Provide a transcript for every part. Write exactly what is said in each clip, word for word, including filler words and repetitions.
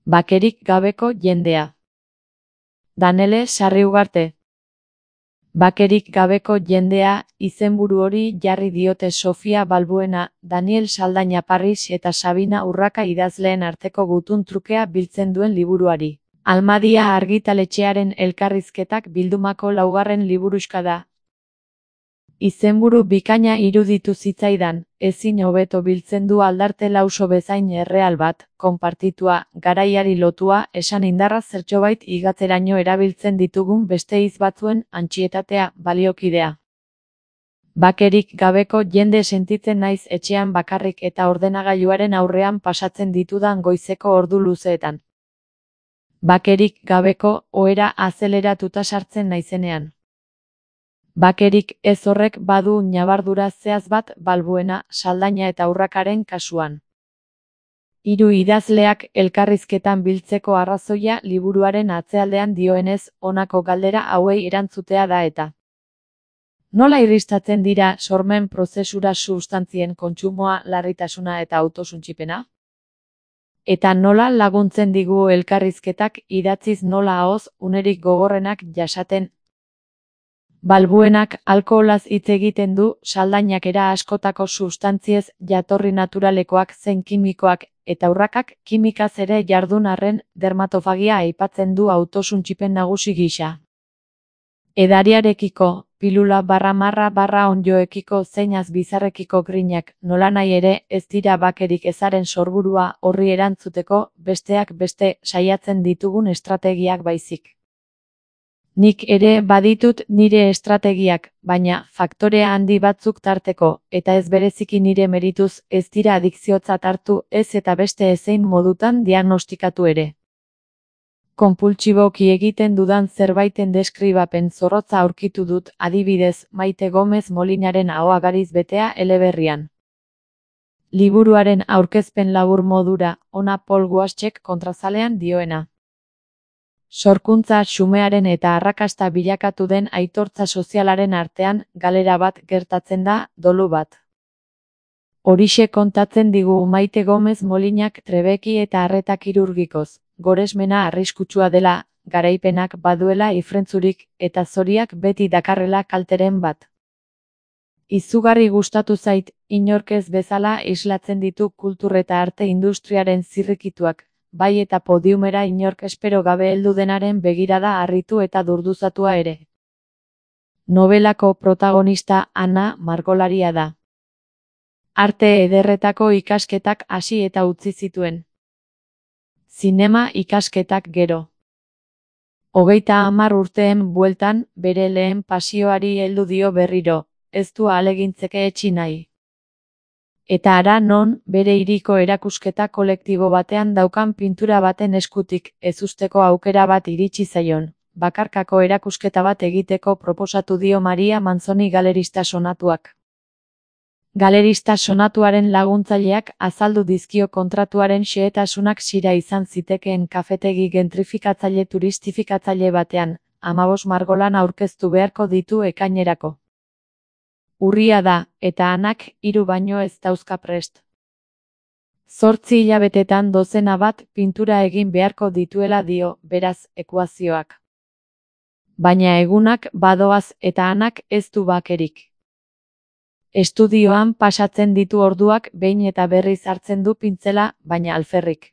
Bakerik gabeko jendea. Danele Sarriugarte. Bakerik gabeko jendea, izenburu hori jarri diote Sofia Balbuena, Daniel Saldaña Parris eta Sabina Urraka idazleen arteko gutun trukea biltzen duen liburuari. Almadia argitaletxearen elkarrizketak bildumako laugarren liburuxka da. Izenburu bikaina iruditu zitzaidan, ezin hobeto biltzen du aldarte lauso bezain erreal bat, konpartitua, garaiari lotua, esan indarra zertxobait igatzeraino erabiltzen ditugun beste hitz batzuen antsietatea, baliokidea. Bakerik gabeko jende sentitzen naiz etxean bakarrik eta ordenagailuaren aurrean pasatzen ditudan goizeko ordu luzeetan. Bakerik gabeko ohera azeleratuta sartzen naizenean. Bakerik ez horrek badu ñabardura zehaz bat Balbuena, Saldaña eta Urrakaren kasuan. Hiru idazleak elkarrizketan biltzeko arrazoia liburuaren atzealdean dioenez, honako galdera hauei erantzutea da eta. Nola irristatzen dira sormen prozesura substantzien kontsumoa, larritasuna eta autosuntsipena? Eta nola laguntzen digu elkarrizketak idatziz nola ahoz unerik gogorrenak jasaten? Balbuenak alkoholaz hitz egiten du, Saldañak era askotako substantziez jatorri naturalekoak zein kimikoak, eta Urrakak kimikaz ere jardun arren dermatofagia aipatzen du autosuntsipen nagusi gisa. Edariarekiko, pilula barra marra barra onjoekiko zeinaz bizarrekiko grinak, nolanahi ere ez dira bakerik ezaren sorburua horri erantzuteko besteak beste saiatzen ditugun estrategiak baizik. Nik ere baditut nire estrategiak, baina faktore handi batzuk tarteko, eta ez bereziki nire merituz ez dira adikziotzat hartu ez eta beste ezein modutan diagnostikatu ere. Konpultsiboki egiten dudan zerbaiten deskribapen zorrotza aurkitu dut, adibidez, Maite Gomez Molinaren ahoa gariz betea eleberrian. Liburuaren aurkezpen labur modura, ona Paul Waschek kontrazalean dioena. Sorkuntza xumearen eta arrakasta bilakatu den aitortza sozialaren artean galera bat gertatzen da, dolu bat. Horixe kontatzen digu Maite Gomez Molinak trebeki eta arreta kirurgikoz, goresmena arriskutsua dela, garaipenak baduela ifrentzurik eta zoriak beti dakarrela kalteren bat. Izugarri gustatu zait, inork ez bezala islatzen ditu kultur eta arte industriaren zirrikituak, bai eta podiumera inork espero gabe heldu denaren begirada harritu eta durduzatua ere. Nobelako protagonista Ana margolaria da. Arte ederretako ikasketak hasi eta utzi zituen. Zinema ikasketak gero. Hogeita hamar urteen bueltan, bere lehen pasioari heldu dio berriro, ez du ahalegintzeke etsi nahi. Eta hara non, bere hiriko erakusketa kolektibo batean daukan pintura baten eskutik, ezusteko aukera bat iritsi zaion, bakarkako erakusketa bat egiteko proposatu dio Maria Manzoni galerista sonatuak. Galerista sonatuaren laguntzaileak azaldu dizkio kontratuaren xehetasunak sira izan zitekeen kafetegi gentrifikatzaile turistifikatzaile batean, hamabost margolan aurkeztu beharko ditu ekainerako. Urria da, eta Anak hiru baino ez dauzka prest. Zortzi hilabetetan dozena bat pintura egin beharko dituela dio, beraz, ekuazioak. Baina egunak badoaz eta Anak ez du bakerik. Estudioan pasatzen ditu orduak behin eta berriz hartzen du pintzela, baina alferrik.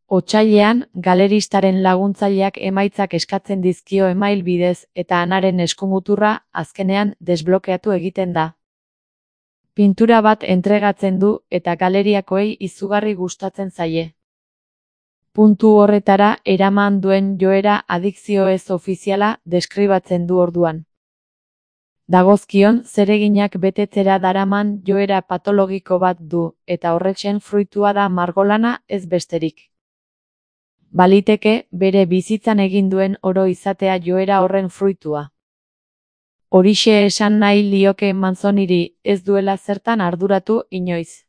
Otsailean, galeristaren laguntzaileak emaitzak eskatzen dizkio email bidez eta Anaren eskumuturra, azkenean, desblokeatu egiten da. Pintura bat entregatzen du eta galeriakoei izugarri gustatzen zaie. Puntu horretara eraman duen joera adikzio ez ofiziala deskribatzen du orduan. Dagozkion zereginak betetzera daraman joera patologiko bat du, eta horretxen fruitua da margolana ez besterik. Baliteke, bere bizitzan egin duen oro izatea joera horren fruitua. Horixe esan nahi lioke Manzoniri, ez duela zertan arduratu inoiz.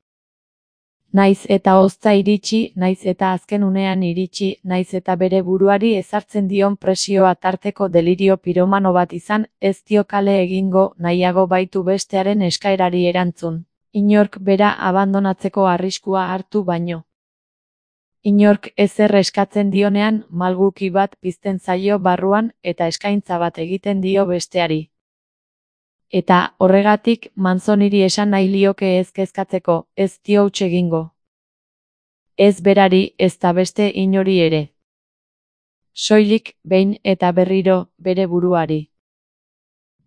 Naiz eta hozta iritsi, naiz eta azken unean iritsi, naiz eta bere buruari ezartzen dion presioa tarteko delirio piromano bat izan, ez dio kale egingo, nahiago baitu bestearen eskaerari erantzun. Inork bera abandonatzeko arriskua hartu baino. Inork ezer eskatzen dionean malguki bat pizten zaio barruan eta eskaintza bat egiten dio besteari. Eta horregatik Manzoniri esan nahi lioke ez kezkatzeko, ez dio huts egingo. Ez berari ezta beste inori ere. Soilik, behin eta berriro, bere buruari.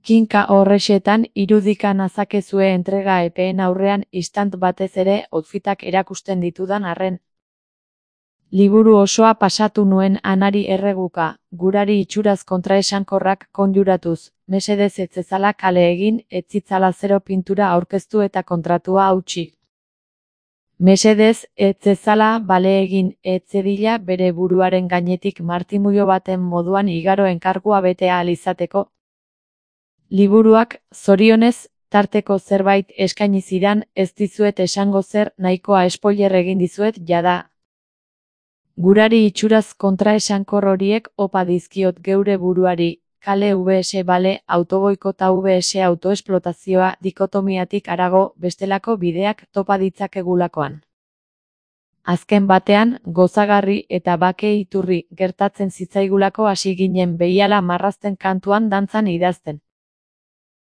Kinka horrexetan irudika nazakezue entrega epeen aurrean istant batez ere outfitak erakusten ditudan arren. Liburu osoa pasatu nuen anari erreguka, gurari itxuraz kontraesankorrak konjuratuz, mesedez etzezala kale egin, etzitzala zero pintura aurkeztu eta kontratua hautsi. Mesedez, etzezala bale egin, etzedila bere buruaren gainetik martimulo baten moduan igaro enkargua betea alizateko. Liburuak, zorionez, tarteko zerbait eskaini zidan, ez dizuet esango zer, nahikoa spoiler egin dizuet jada. Gurari itxuraz kontraesankor horiek opa dizkiot geure buruari, kale vs bale, autoboikota vs autoesplotazioa dikotomiatik harago bestelako bideak topa ditzakegulakoan. Azken batean, gozagarri eta bake iturri gertatzen zitzaigulako hasi ginen behiala marrazten kantuan dantzan idazten.